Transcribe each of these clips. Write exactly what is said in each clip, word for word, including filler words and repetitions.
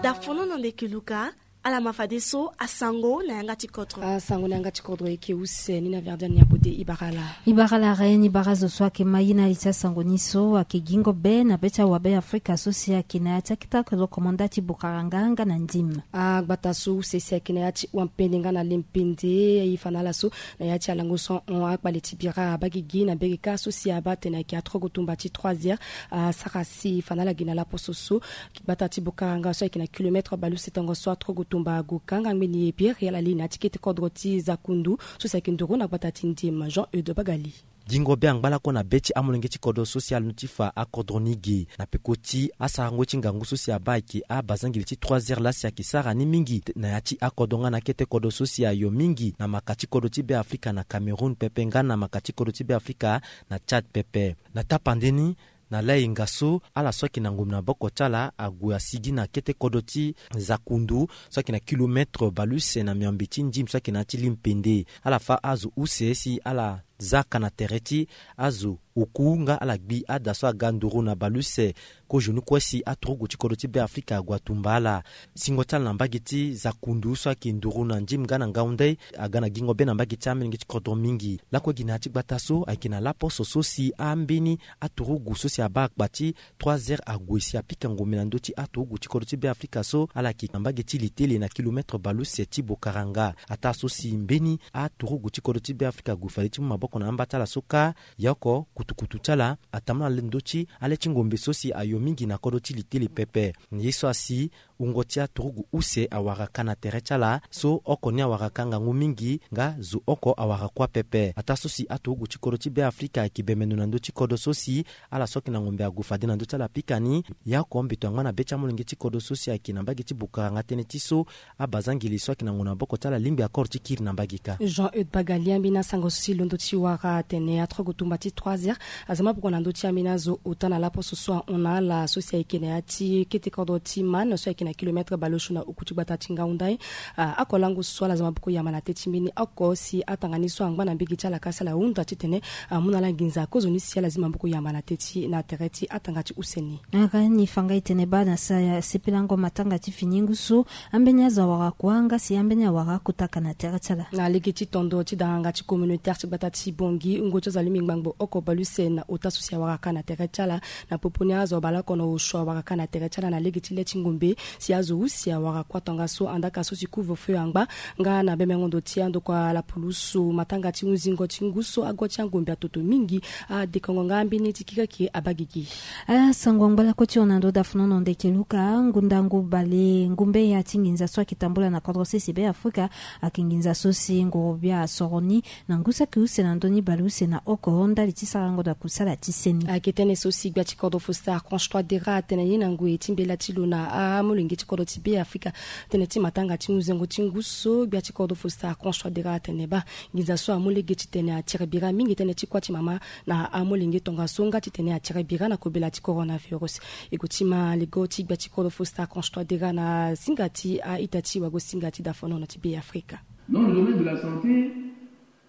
Dafono na ndeke luka. Ala ma fadeso asango na yanga ti kodro. Asango na yanga ti kodro eke use ni na verdian ni apote ibarala. Ibarala re ni bara zo so ake ma ye na li ti asango ni so ake gingo be na be ti awabe afrika so si ake na ya ti akita kodro komanda ti bokaranga nga na ndim. Agbata so use si ake na ya ti wampende nga na lempende e fa na ala so na ya ti alango so ahon akpale ti bira abagigi na mbege kâ so si abaa tene ayeke atrogo tumba ti trois heures. Asara si fa na ala gi na laposo so gbata ti bokaranga so ayeke na kilometre baleuse tongaso atrogo tumba ago kanga ngbeni e biri ala li na ya ti kete kodro ti zakundu so si ayeke nduru na gbata ti ndim jean eude bagali. Gingo be angba lakue na be ti amolenge ti kodro so si alondo ti fa akodro ni ge na peko ti asarango ti ngangu so si abaa ayeke abazangeli ti trois heures laa si ayeke sara ni mingi na ya ti akodro nga na akete kodro so si ayo mingi na maka ti kodro ti be afrika na cameroun pepe nga na maka ti kodro ti be afrika na tchad pepe. Na tapande ni na layenga so ala so ayeke na ngombe na boko ti ala ague asigi na kete kodro ti zakundu so ayeke na kilometre baleuse na miombe ti ndim so ayeke na ya ti limpende. Ala fa azo use si ala za ka na tere ti azo oku nga ala gbi ada so aga nduru na baleuse. Kozoni kue si aturugu ti kodro ti be afrika ague atumba ala. Singo ti ala na mbage ti zakundu so ayeke nduru na ndim nga na ngau ndai aga na gingo be na mbage ti amolenge ti kodro mingi. Lakue gi na ya ti gbata so ayeke na laposo so si ambeni aturugu so si abaa akpa ti trois heures ague si apika ngombe na ndö ti aturugu ti kodro ti be afrika so ala yeke na mbage ti litele na kilometre baleuse ti bokaranga. Ataa so si mbeni aturugu ti kodro ti be afrika ague fade ti mu maboko na amba ti ala so kâ. Ya oko kutukutu ti ala atambula na le ndö ti ale ti ngombe so si ayo mingi na kodro ti litele pepe. Na ye so asi wungo ti aturugu use awara ka na tere ti ala so oko ni awara ka ngangu mingi nga zo oko awara kuâ pepe. Ataa so si aturugu ti kodro ti be afrika ayeke bemeno na ndö ti kodro so si ala so ayeke na ngombe ague fade na ndö ti ala apika ni. Ya oko mbeto angba na be ti amolenge ti kodro so si ayeke na mbage ti bokaranga tënë ti so abazangeli so ayeke na ngu na boko ti ala lingbi akoro ti kiri na mbage kâ. Jean eude bagali ambeni asango so si londo ti wara atene atrogo tumba ti trois heures aza maboko na ndö ti ambeni azo ota na laposo so ahon na ala so si ayeke na ya ti kete kodro ti mane so ayeke na kilometre baleuse na oku ti gbata ti ngau ndai. Akolango so ala za maboko yamba na teti mbeni oko si atanga ni so angba na mbege ti ala ka si ala hunda titene amu na ala nginza kozoni si ala zi maboko yamba na teti na tere ti atanga ti use ni. Ara ni fanga etene baa na sa ya sepelango matanga ti fini ngu so ambeni azo awara kuâ nga si ambeni awara akotaka na tere ti ala. Na lege ti tondo ti danganga ti communautaire ti gbata ti bongi ngo ti azo alingbi ngbangbo oko baleuse na ota so si awara ka na tere ti ala. Na popo ni azo abale oko na osio awara ka na tere ti ala na lege ti le ti ngombe si azo use awara kuâ tongaso andaka so si couvre feu angba nga na bemengo ndo ti andokua lapulusu matanga ti hunzingo ti ngu so ago ti angombe atoto mingi. Adekongo nga ambeni ti kikaki abagigi. Asango angba lakue ti hon na ndo dafono na ndeke luka ngundangu bale ngumbe ya ti nginza so ayeke tambula na kodro sese be afrika. Ayeke nginza so si nguru bia asoro ni na ngu saki use na ndö ni baleuse na oko ndali ti sarango na kusala ti seni. Ayeke tënë so si gbia ti kodro foster archange trois dera atene ye na ngoi ti mbela ti lo na amolenge ti kodro ti be afrika. Tënë ti matanga ti muzengo ti ngu so gbia ti kodro foster archange trois dera atene baa nginza so amu lege titene atiri bira mingi tënë ti kuâ ti mama na amolenge tongaso nga titene atiri bira na kobela ti coronavirus. E gue ti ma lego ti gbia ti kodro foster archange trois dera na singa ti a-ita ti wago singa ti dafono na ti be afrika. Dans le domaine de la santé,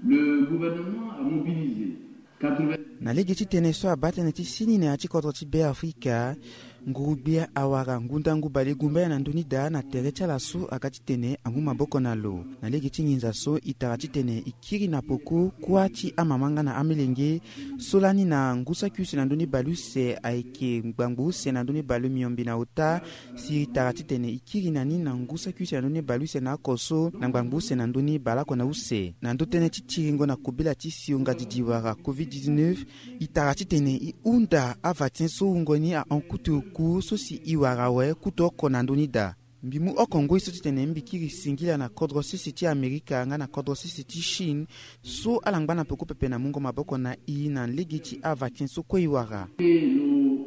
le gouvernement a mobilisé quatre-vingts. Na lege ti tene so abaa tënë ti sini na ya ti kodro ti be afrika. Nguru-gbia awara ngundangu bale gumbaya na ndö ni daa na tere ti ala so aga titene amu maboko na lo. Na lege ti nginza so e tara titene e kiri na poko kuâ ti amama nga na amelenge so lani na ngu saki use na ndö ni baleuse ayeke ngbangbo use na ndö ni baleuse miombe na ota. Si e tara titene e kiri na ni na ngu saki use na ndö ni baleuse na oko so na ngbangbo use na ndö ni baleoko na use na ndö tënë ti tiringo na kobela ti sio ngadi diwara covid dix-neuf. E tara titene e hunda avaccin so wungo ni ahon kutu oku so si e wara awe kutu oko na ndö ni daa. Mbi mu oko ngoi so titene mbi kiri singila na kodro sese ti amerika nga na kodro sese ti chine so ala ngba na peko pepe na mungo maboko na e na lege ti avaccin so kue e wara. Et nos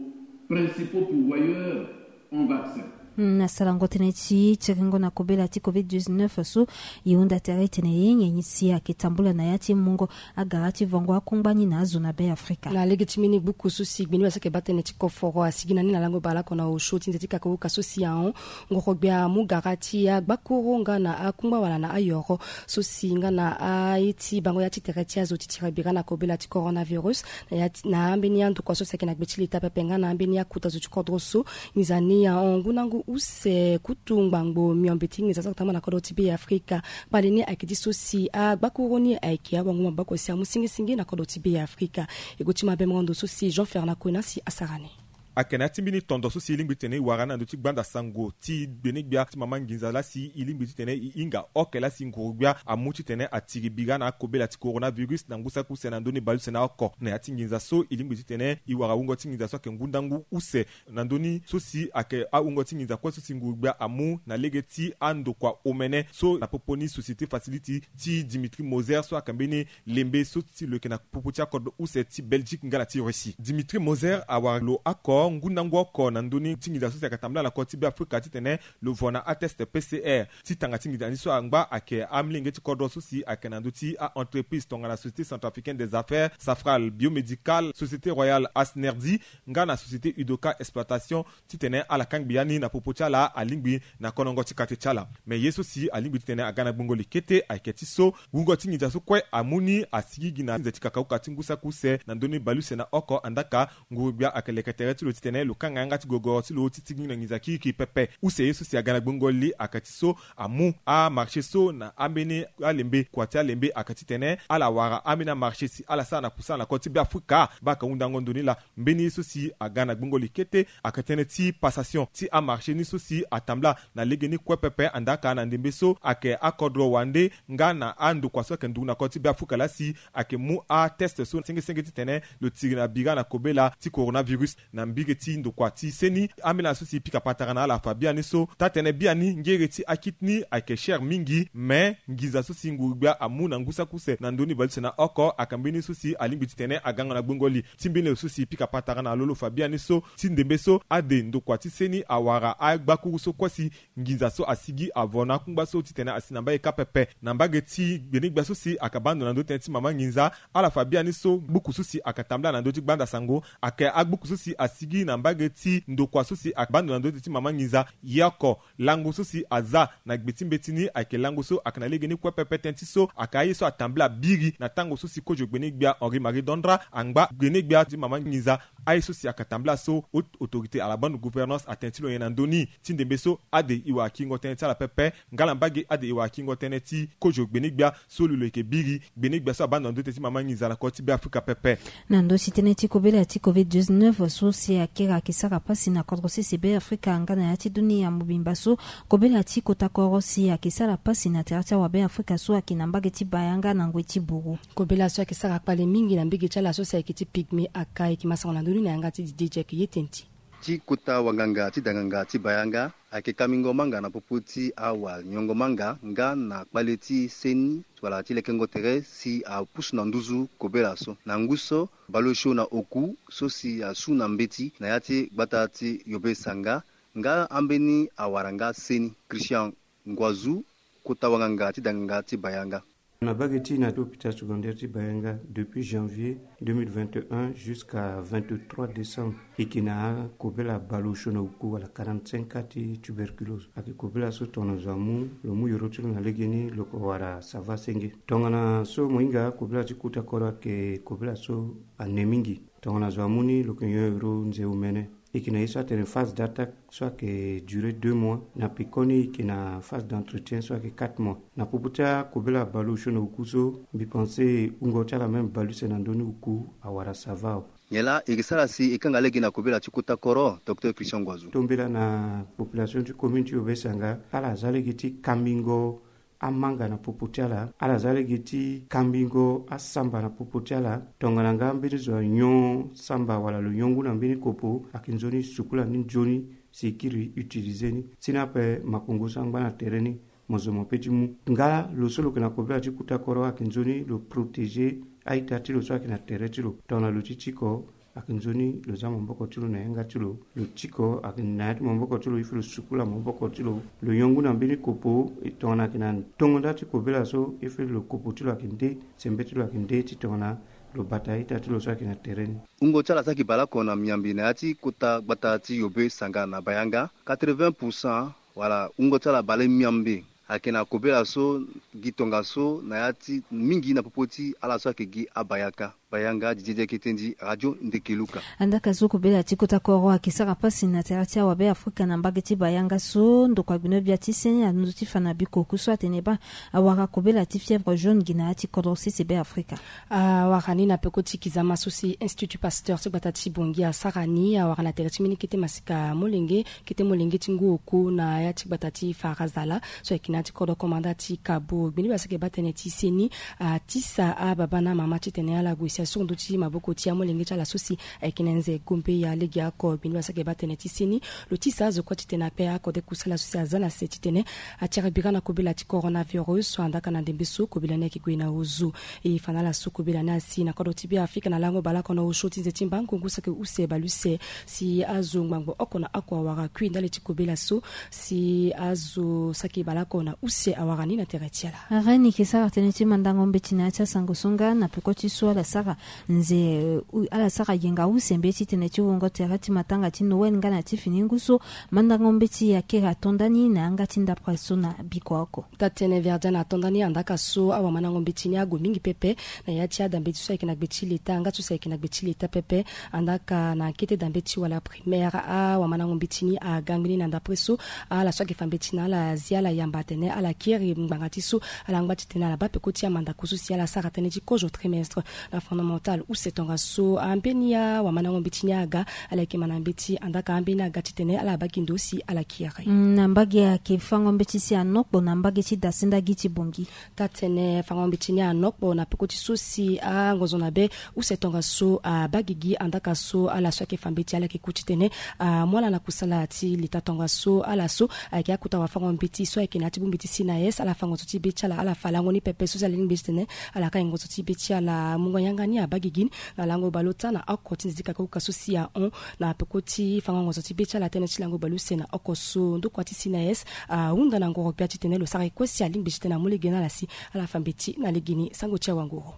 principaux pourvoyeurs en vaccin. Na sarango tënë ti tiringo na kobela ti covid dix-neuf so, e hunda tere titene e nyen si ayeke tambula na ya ti mungo agara ti vango akungba ni na azo na Beafrika. Na lege ti mbeni gbuku so si gbeni wala so ayeke baa tënë ti koforo asigi na ni na lango bale oko na osio ti nze ti kakauka so si ahon ngoro gbia amu gara ti agbakuru nga na akungba wala na ayoro so si nga na aye ti bango ya ti tere ti azo ti tiri bira na kobela ti coronavirus. Na ya ti, na ambeni andokua so si ayeke na gbe ti leta pepe nga na ambeni akuta zo ti kodro so, nginza ni ahon ngu na ngu use kutu ngbangbo miombe ti nginza so atama na kodro ti Beafrika. Kpale ni ayeke ti so si agbakuru ni ayeke awango maboko si amu singisingi na kodro ti Beafrika. E gue ti mabe morondo so si Jean Fernand Kwena si asara ni. Ayeke na ya ti mbeni tondo so si e lingbi titene e wara ni na ndö ti gbanda sango ti gbene gbia ti mama nginza laa si e lingbi titene e hinga oke laa si nguru gbia amu titene atiri bira na akobela ti coronavirus na ngu saki use na ndö ni baleuse na oko. Na ya ti nginza so e lingbi titene e wara wungo ti nginza so ayeke ngu ndangu use na ndö ni so si ayeke awungo ti nginza kue so si nguru gbia amu na lege ti andokua omene so na popo ni société facilité ti Dimitri Moser so ayeke mbeni lembe so ti lo yeke na popo ti akodro use ti Belgique nga na ti Russie. Dimitri Moser awara lo oko ngu ndangu oko na ndö ni ti nginza so si ayeke tambula na kodro ti Beafrika titene lo vo na atest P C R. Ti tanga ti nginza ni so angba ayeke amolenge ti kodro so si ayeke na ndö ti a-entreprise tongana Société Centrafricaine des Affaires, Safral Biomédical, Société Royale Asnerdi nga na Société Udoka Exploitation, titene ala kangbi ya ni na popo ti ala alingbi na konongo ti kate ti ala. Me ye so si alingbi titene aga na gbongo li kete ayeke ti so wungo ti nginza so kue amu ni asigi gi na nze ti kakauka ti ngu saki use na ndö ni baleuse na oko, andaka nguru gbia ayeke leke tere ti lo titene lo kanga yanga ti gogoro ti lo ti tigi na nginza kirikiri pepe. Use ye so si aga na gbongo li ayeke ti so amu amarché so na ambeni alembe kua ti alembe ayeke titene ala wara ambeni amarché si ala sara na kusala na kodro ti Beafrika. Baa ayeke hundango ndo ni laa. Mbeni ye so si aga na gbongo li kete ayeke tënë ti passation ti amarché ni so si atambula na legeni kue pepe, andaka na ndembe so ayeke akodro wande nga na andokua so ayeke nduku na kodro ti Beafrika laa si ayeke mu atest so sengesenge titene lo tiri na bira na kobela ti coronavirus. Na mbage ti ndokua ti seni, ambeni ala so si pika patara na ala fa biani so taa-tënë biani ngere ti akiti ni ayeke cher mingi, me nginza so si nguru gbia amu na ngu saki use na ndö ni baleuse na oko ayeke mbeni so si alingbi titene agango na gbongo li ti mbeni lo so si pika patara na lo lo fa biani so ti ndembe so ade ndokua ti seni awara agbakuru so kue si nginza so asigi avo na akungba so titene asi na mbage kâ pepe. Na mbage ti gbene gbia so si ayeke baa ndo na ndö ti tënë ti mama nginza, ala fa biani so gbuku so si ayeke tambula na ndö ti gbanda sango ayeke agbuku so si asigi na mbage ti ndokua so si ayeke baa ndo na ndö ti tënë ti mama nginza. Ye oko lango so si aza na gbe ti mbeti ni ayeke lango so ayeke na legeni kue pepe, tënë ti so ayeke aye so atambula biri na tango so si kozo gbene gbia Henri Marie Dondra angba gbene gbia ti mama nginza. Aye so si ayeke tambula so haute autorité à la bonne gouvernance atene ti lo nyen na ndö ni ti ndembe so ade e wara kiringo tënë ti ala pepe. Nga na mbage ade e wara kiringo tënë ti kozo gbene gbia so lo lo yeke biri gbene gbia so abaa ndo na ndö ti tënë ti mama nginza na kodro ti Beafrika pepe. Na ndö ti tënë ti kobela ti covid dix-neuf so si akiri ayeke sara pasi na kodro sese Beafrika nga na ya ti dunia mobimba so, kobela ti kota koro si ayeke sara pasi na tere ti awa Beafrika so ayeke na mbage ti Bayanga na ngoi ti buru. Kobela so ayeke sara kpale mingi na mbage ti ala so si ayeke ti Pygmée aka, e yeke masango na ndö ni na yanga ti Didier Jack ye tënë ti. Ti kota wanganga ti danganga ti Bayanga ayeke kamingo manga na popo ti awa nyongo manga nga na kpale ti seni wala ti lekengo tere si apusu na nduzu kobela so. Na ngu so baleosio na oku so si asu na mbeti na ya ti gbata ti Yobe Sanga nga ambeni awara nga seni. Christian Nguazu, kota wanganga ti danganga ti Bayanga. Na mbage ti na ti hôpital secondaire ti Bayanga depuis janvier deux mille vingt et un jusqu'à vingt-trois décembre, e yeke na akobela baleosio na oku wala quarante-cinq cas ti tuberculose. Ayeke kobela so tongana zo amu lo mu yoro ti lo na legeni lo yeke wara sava senge. Tongana so mo hinga kobela ti kota koro ayeke kobela so ane mingi. Tongana zo amu ni lo yeke nyon yoro nze omene. E yeke na ye so atene phase d'attaque so ayeke durer deux mois. Na pekoni e yeke na phase d'entretien so ayeke quatre mois. Na popo ti akobela baleosio na oku so, mbi pense wungo ti ala même baleuse na ndö ni oku awara sava awe. Nyen laa e yeke sara si e kanga lege na kobela ti kota koro, docteur Christian Nguazu? Tombela na population ti commune ti Yobe Sanga, ala za lege ti kambingo amanga na popo ti ala, ala za lege ti kambingo asamba na popo ti ala. Tongana nga mbeni zo anyon samba wala lo nyon ngu na mbeni kopo, ayeke nzoni sukula ni nzoni si e kiri utiliser ni. Sini ape makongo so angba na tere ni, mo zo mo pe ti mu. Nga lo so lo yeke na kobela ti kota koro ayeke nzoni lo protéger a-ita ti lo so ayeke na tere ti lo. Tongana lo ti tiko, Ayeke nzoni lo za maboko ti lo na yanga ti lo, lo tiko ayeke na ya ti maboko ti lo, il faut lo sukula maboko ti lo, lo yongu na mbeni kopo. E tongana ayeke na tongo nda ti kobela so, il faut lo kopo ti lo ayeke nde, sembe ti lo ayeke nde ti tongana lo bata ita ti lo so ayeke na tere ni. Wungo ti ala saki baleoko na miambi na ya ti kota gbata ti Yobe Sanga na Bayanga, quatre-vingts pour cent wala wungo ti ala bale miambe ayeke na kobela so, gi tongaso na ya ti mingi na popo ti ala so ayeke gi abayaka. Bayanga, Didier Diakete ndi, Radio Ndeke Luka. Andaka so kobela ti kota koro ayeke sara pasi na tere ti awabe Afrika na mbage ti Bayanga so, ndokua gbinobia ti seni alondo ti fa na biko ku so atene baa awara kobela ti fièvre jaune gi na ya ti kodro sese be Afrika. Awara ni na peko ti kizama so si Institut Pasteur ti gbata ti Bangui asara ni, awara na tere ti mbeni kete masika molenge, kete molenge ti ngu oko na ya ti gbata ti Farazala so ayeke na ya ti kodro komanda ti Kabo. Gbinobia so ayeke baa tënë ti seni atisa ababa na amama titene ala gue si asuru ndö ti maboko ti amolenge ti ala so si ayeke na nze gombe ya legeoko. Gbinobia so ayeke baa tënë ti seni lo tisa azo kue titene akpe akode kusala so si aza na se titene atere bira na kobela ti coronavirus. Andaka na ndembe so kobela ni ayeke gue na ozo. E fa na ala so kobela ni asi na kodro ti Beafrika na lango baleoko na osio ti nze ti mbangu ngu saki use baleuse si azo ngbangbo oko na oko awara kui ndali ti kobela so, si azo saki baleoko na use awara ni na tere ti ala. Reine yeke sara tënë ti mandango mbeti na ya ti asango so nga na peko ti so ala sara nze, eh, u- ala sara yenga use mbeti tënë ti wungo tere ti matanga ti Noël nga na ti fini ngu so. Mandango mbeti akiri ato nda ni na yanga ti ndapre so na biko oko. Taa-tënë Verdiane ato nda ni andaka so awamandango mbeti ni ague mingi pepe na ya ti adambe ti so ayeke na gbe ti leta nga ti so ayeke na gbe ti leta pepe. Andaka na kete dambe ti wala primaire, awamandango mbeti ni aga ngbeni na ndapre so ala so ayeke fa mbeti na ala azi ala yamba atene ala kiri ngbanga ti so ala ngba titene ala baa peko ti amandako so si ala sara tënë ti kozo trimestre na fondamental use tongaso. Ambeni awamandango mbeti ni aga ala yeke ma na mbeti, andaka ambeni aga titene ala baa gi ndo si ala kiri. Mm, na mbage ayeke fango mbeti si anokpo na mbage ti dasinda gi ti Bangui. Taa-tënë fango mbeti ni anokpo na peko ti so si angonzo na be use tongaso abaa gigi, andaka so ala so ayeke fa mbeti ala yeke ku titene amu ala na kusala ti leta tongaso. Ala so ayeke akota wafango mbeti so ayeke na ya ti bongbi ti C N A S, ala fa ngonzo ti be ti ala, ala fa lango ni pepe so si ala lingbi titene ala ka ngonzo ti be ti ala. Mungo yanga ni abaa gigi ni na lango baleota na oko ti nze ti kakakuka so si ahon na peko ti fango ngonzo ti be ti ala tënë ti lango baleuse na oko so. Ndokua ti C N A S ahunda na ngoro gbia titene lo sara ye kue si alingbi titene amu lege na ala si ala fa mbeti na legeni. Sango ti awanguru.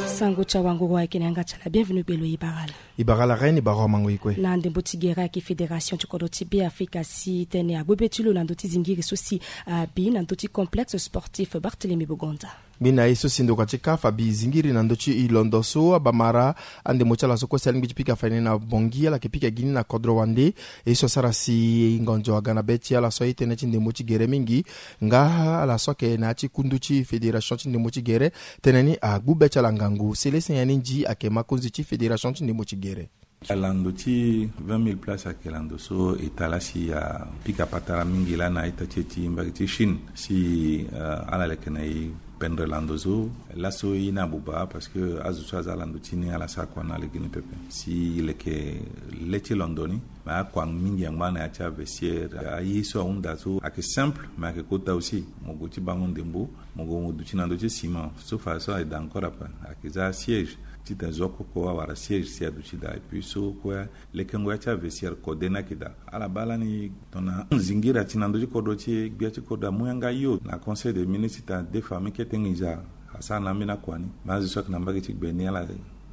Sango ti awanguru ayeke na yanga ti ala. Bienvenu gbelo, e bara ala. E bara ala Reine, e bara awamango e kue. Na ndembo ti gere ayeke fédération ti kodro ti Beafrika asi tënë agbu be ti lo na ndö ti zingiri so si abi na ndö ti complexe sportif Barthélemy Bogonda. Mbi na ye so si ndokua ti CAF abi zingiri na ndö ti e londo so abamara andembo ti ala so kue si alingbi ti pika fani na Bangui, ala yeke pika gi ni na kodro wande. Ye so asara si ngonzo aga na be ti ala so aye tënë ti ndembo ti gere mingi nga ala so ayeke na ya ti kundu ti fédération ti ndembo ti gere, tënë ni agbu be ti ala ngangu. Célestin Yani Nzi ayeke mokonzi ti fédération ti ndembo ti gere. Lando ti vingt mille places ayeke lando so e tara si apika patara mingi laa na ita ti e ti mbage ti Chine si, eh, ala leke na e pendre lando so. Laso e na buba parce que azo so aza lando ti ni ala sara kua na legeni pepe si e leke le ti londo ni. Me akua mingi angba na ya ti avestiaire. Aye so ahunda so ayeke simple, me ayeke kota aussi. Mo gue ti bango ndembo, mo gue mo duti na ndö ti ciment so fa so aye daa encore ape. Ayeke za siège titene zo oko oko awara siège si aduti daa. Et puis so kue lekengo ya ti avestiaire kode ni ayeke daa. Ala baa lani tongana zingiri ati na ndö ti kodro ti e, gbia ti kodro amu yanga yo na conseil des ministres titene adefa ameni kete nginza asara na ambeni akua ni. Me azo so ayeke na mbage ti gbe ni ala,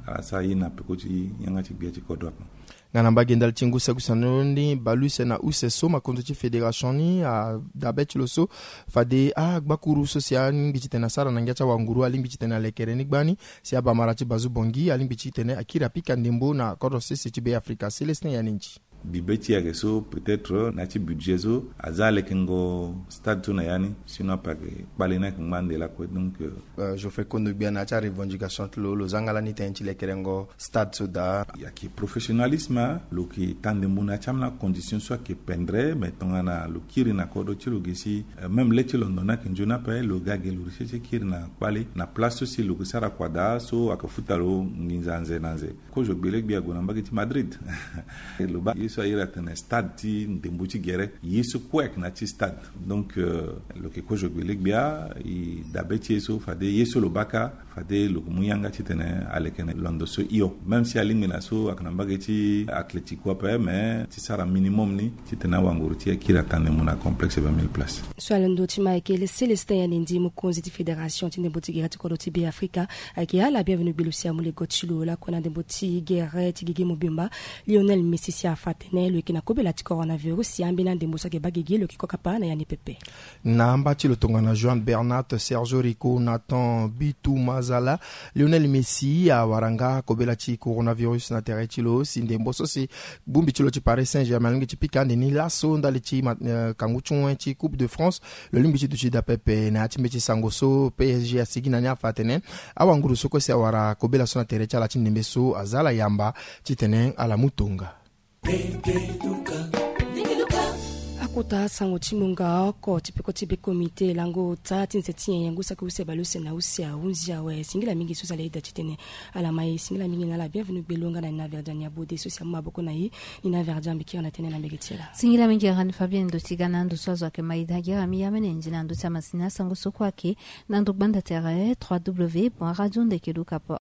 ala sara ye na peko ti yanga ti gbia ti kodro ape. Nga na mbage ndali ti ngu saki use ndo ni baleuse na use so makonzo ti fédération ni adabe ti lo so fade agbakuru so si alingbi titene asara na ngia ti awanguru alingbi titene alekere ni gbani. Si abamara ti Bazu Bangui alingbi titene akiri apika ndembo na kodro sese ti Beafrika. Célestin Yani Nzi. Bi be ti e ayeke so peut-être na ya ti budget so aza lekengo stade so na ya ni, sinon ape ayeke kpale ni ayeke ngba nde lakue. Donc, euh, euh, Geoffrey Kondo Gbia, na ya ti arevendication ti lo, lo za nga lani tënë ti lekerengo stade so daa. Ayeke professionnalisme, lo yeke taa ndembo na ya ti ambeni acondition so ayeke pendre. Me tongana lo kiri na kodro ti lo gi si, euh, même le ti londo ni ayeke nzoni ape, lo ga gi lo resi ti kiri na kpale na place so si lo yeke sara kua daa so ayeke futa lo nginza nze na nze. Kozo gbele gbi ague na mbage ti Madrid. Lo baa ye So a iri atene stade ti ndembo ti gere ye so kue ayeke na ya ti stade. Donc lo yeke kozo gbele gbia. E dabe ti ye so fade ye so lo baka fade lo mu yanga titene aleke na londo so hio. Même si alingbi na so ayeke na mbage ti athlético ape mais ti sara minimum ni titene awanguru ti e akiri atande mu na complexe vingt mille places. So alondo ti ma ayeke Célestin Yandi Ndi, mokonzi ti fédération ti ndembo ti gere ti kodro ti Be Afrika. Ayeke ala bienvenu gbelo si amu lego ti lo lakue na ndembo ti gere ti gigi mobimba. Lionel Messi si afa atene lo yeke na kobela ti coronavirus si ambeni andembo so ayeke baa gigi lo yeke kokapa na ya ni pepe. Na amba ti lo tongana Joan Bernat, Sergio Rico, Nathan Bitu Mazala, Lionel Messi awara nga kobela ti coronavirus na tere ti lo si ndembo so si bongbi ti lo ti Paris Saint-Germain alingbi ti pika ande ni laso ndali ti ma- eh, kangu ti wen ti Coupe de France. Lo lingbi ti duti daa pepe na ya ti mbeti sango so P S G asigi na ni afa atene awanguru so kue si awara kobela so na tere ti ala ti ndembe so aza ala yamba titene ala mu tonga. Akota sango ti munga oko ti peko ti be komite lango ota ti nze ti nyen yengo saki use bale use na use ahunzi awe. Singila mingi so zala eda titene ala ma e. Singila mingi na ala bienvenu gbelo nga na nina verdian ya bode so si amu maboko na e. Nina verdian mbi kiri na tene na mbege ti ala. Singila mingi rani fabien ndo ti ga na ndo so azo ayeke ma e da gira mi ya mene ndi na ndo ti amasini asango so kue ayeke na ndo gbanda tere trois w point radio ndeke luka point